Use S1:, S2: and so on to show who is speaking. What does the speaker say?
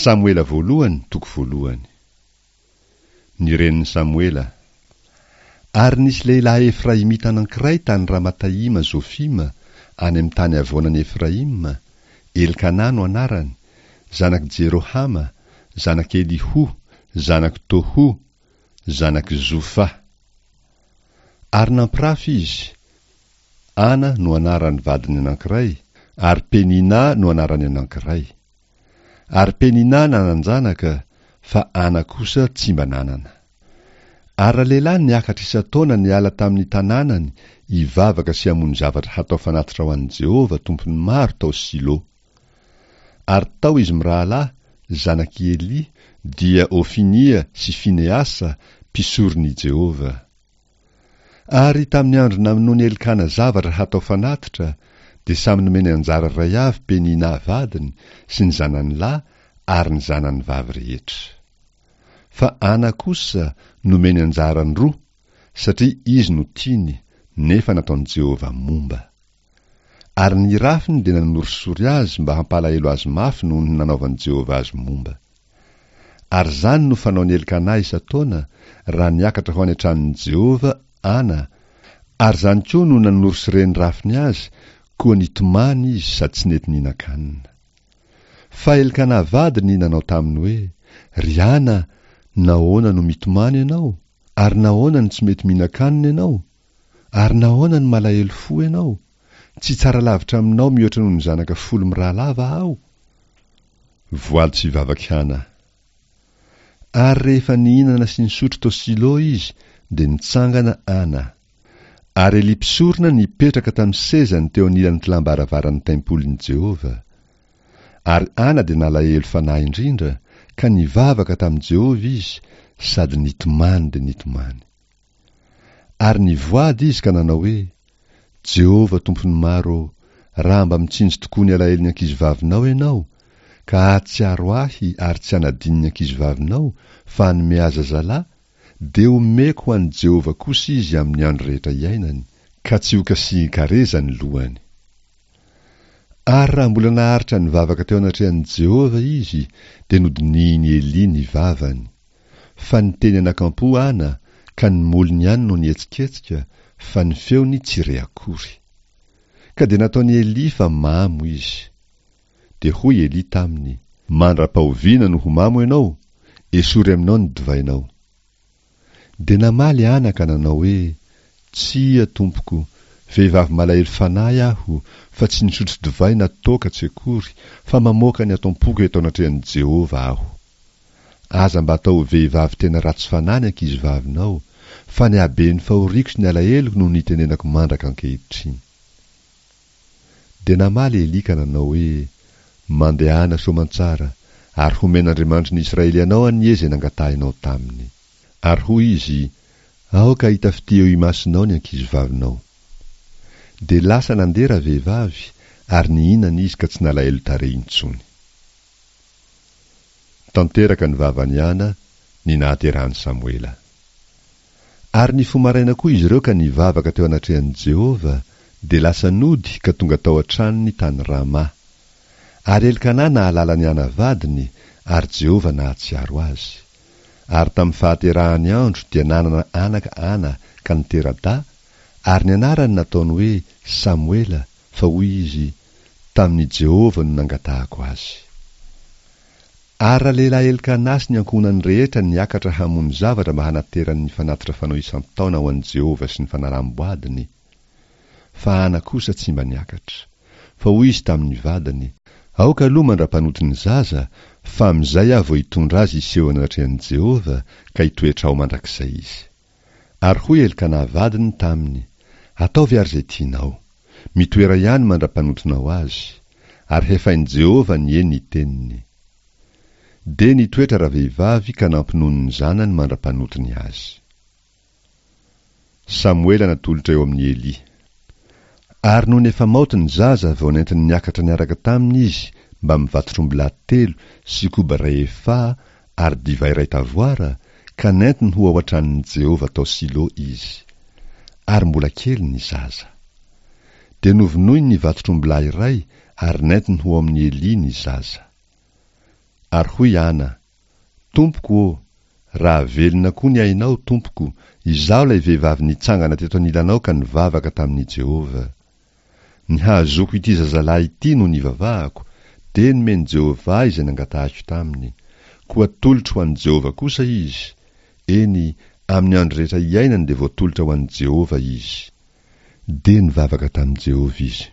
S1: Samoela voalohany toko voalohany. Ny renin'i Samoela. Ary nisy lehilahy Efraimita anankiray tany Ramataima Zofima, any amin'ny tany havoanan'i Efraima, Elkanà no anarany, zanak'i Jerohama, zanak'i Eliho, zanak'i Tohu, zanak'i Zofa. Ary nampirafy izy, Ana no anaran'ny vadiny anankiray, ary Peninà no anaran'ny anankiray. Ary Peninà nanan-janaka, fa Ana kosa tsy mba nanana. Ary ralehilahy niakatra isan-taona niala tamin'ny tanànany hivavaka sy hamono zavatra hatao fanatitra ho an'i Jehovah Tompon'ny maro tao Silo. Ary tao izy mirahalahy, zanak'i Elia, dia Hofinia sy Finehasa, mpisoron'i Jehovah. Ary tamin'ny andro namonoan'i Elkana zavatra hatao fanatitra, dia samy nomeny anjara iray avy Penina vadiny sy ny zanany lahy ary ny zanany vavy rehetra. Fa Ana kosa nomeny anjarany roa, satria izy no tiany, nefa nataon'i Jehovah momba. Ary ny rafiny dia nanorisory azy mba hampalahelo azy mafy noho ny nanaovan'i Jehovah azy momba. Ary izany no fanaon'i Elkanà isan-taona, raha niakatra ho any an-tranon'i Jehovah Ana, ary izany koa no nanorisoren'ny rafiny azy, koa nitomany izy sady tsy nety nihinan-kanina. Fa Elkanà vadiny nanao taminy hoe, Ry Ana, nahoana no mitomany ianao? Ary nahoana no tsy mety mihinan-kanina ianao? Ary nahoana no malahelo fo ianao? Tsy tsara lavitra aminao mihoatra noho ny zanaka folo mirahalahy va aho? Voaly tsy vavak'i Hana. Ary rehefa nihinana sy nisotro tao Silo izy, dia nitsangana Ana. Ary Elia mpisorona nipetraka tamin'ny sezany teo anilan'ny kilam-baravaran'ny tempolin'i Jehovah. Ary Ana dia nalahelo fanahy indrindra, ka nivavaka tamin'i Jehovah izy, sady nitomany dia nitomany. Ary nivoady izy ka nanao hoe, Jehovah Tompon'ny maro ô, raha mba mitsinjo tokoa ny alahelon'ny ankizivavinao Ianao, ka hahatsiaro ahy ary tsy hanadino ny ankizivavinao, fa hanome ahy zazalahy, dia homeko ho an'i Jehovah kosa izy amin'ny andro rehetra iainany, ka tsy hokasihin-kareza ny lohany. Ary raha mbola naharitra nivavaka teo anatrehan'i Jehovah izy, dia nodinihin'i Elia ny vavany. Fa niteny anakampo Ana, ka ny molony ihany no nihetsiketsika, fa ny feony tsy re akory. Ka dia nataon'i Elia fa mamo izy. Dia hoy Elia taminy, Mandra-pahoviana no ho mamo ianao? Esory aminao ny divainao. Dia namaly Ana ka nanao hoe, Tsia, tompoko, vehivavy malahelo fanahy aho, fa tsy nisotro divay na toaka tsy akory, fa mamoaka ny ato am-poko eto anatrehan'i Jehovah aho. Aza mba atao ho vehivavy tena ratsy fanahy ny ankizivavinao, fa ny haben'ny fahoriako sy ny alaheloko no nitenenako mandraka ankehitriny. Dia namaly Elia ka nanao hoe, Mandehana soamantsara, ary homen'Andriamanitry ny Israely anao anie izay nangatahinao taminy. Ary hoy izy, Aoka hahita fitia eo imasonao ny ankizivavinao. Dia lasa nandeha ravehivavy, ary nihinana izy ka tsy nalahelo tarehy intsony. Tanteraka ny vavan'i Ana ny nahaterahan'i Samoela. Ary nifoha maraina koa izy ireo ka nivavaka teo anatrehan'i Jehovah, dia lasa nody ka tonga tao an-tranony tany Rama. Ary Elkana nahalala an'i Ana vadiny, ary Jehovah nahatsiaro azy. Ary tamin'ny fahaterahany andro dia nanana anaka Ana ka nitera-dahy, ary ny anarany nataony hoe Samoela, fa hoy izy, Tamin'i Jehovah no nangatahako azy. Ary ralehilahy Elkana sy ny ankohonany rehetra niakatra hamono zavatra mba hanaterany ny fanatitra fanao isan-taona ho an'i Jehovah sy ny fanalam-boadiny. Fa Hana kosa tsy mba niakatra. Fa hoy izy tamin'ny vadiny, Aoka aloha mandra-panoty ny zaza, fa amin'izay aho vao hitondra azy hiseho eo anatrehan'i Jehovah, ka hitoetra ao mandrakizay izy. Ary hoy Elkana vadiny taminy, Ataovy àry izay tianao. Mitoera ihany mandra-panotonao azy. Ary hefain'i Jehovah anie ny teniny. Dia nitoetra ravehivavy ka nampinono ny zanany mandra-panotony azy. Samoela natolotra eo amin'i Elia. Ary nony efa maoty ny zaza vao nentiny niakatra niaraka taminy izy mbamin'ny vatotr'ombilahy telo sy koba iray efaha ary divay iray tavoara, ka nentiny ho ao an-tranon'i Jehovah tao Silo izy. Ary mbola kely ny zaza. Dia novonoiny ny vatotr'ombilahy iray ary nentiny ho ao amin'i Elia ny zaza. Ary hoy Ana, Tompoko ô, raha velona koa ny ainao, tompoko, izaho ilay vehivavy nitsangana teto anilanao ka nivavaka tamin'i Jehovah. Ny hahazoako ity zazalahy ity no nivavahako, dia nomen'i Jehovah ahy izay nangatahiko taminy. Koa atolotro ho an'i Jehovah kosa izy. Eny, amin'ny andro rehetra iainany dia voatolotra ho an'i Jehovah izy. Dia nivavaka tamin'i Jehovah izy.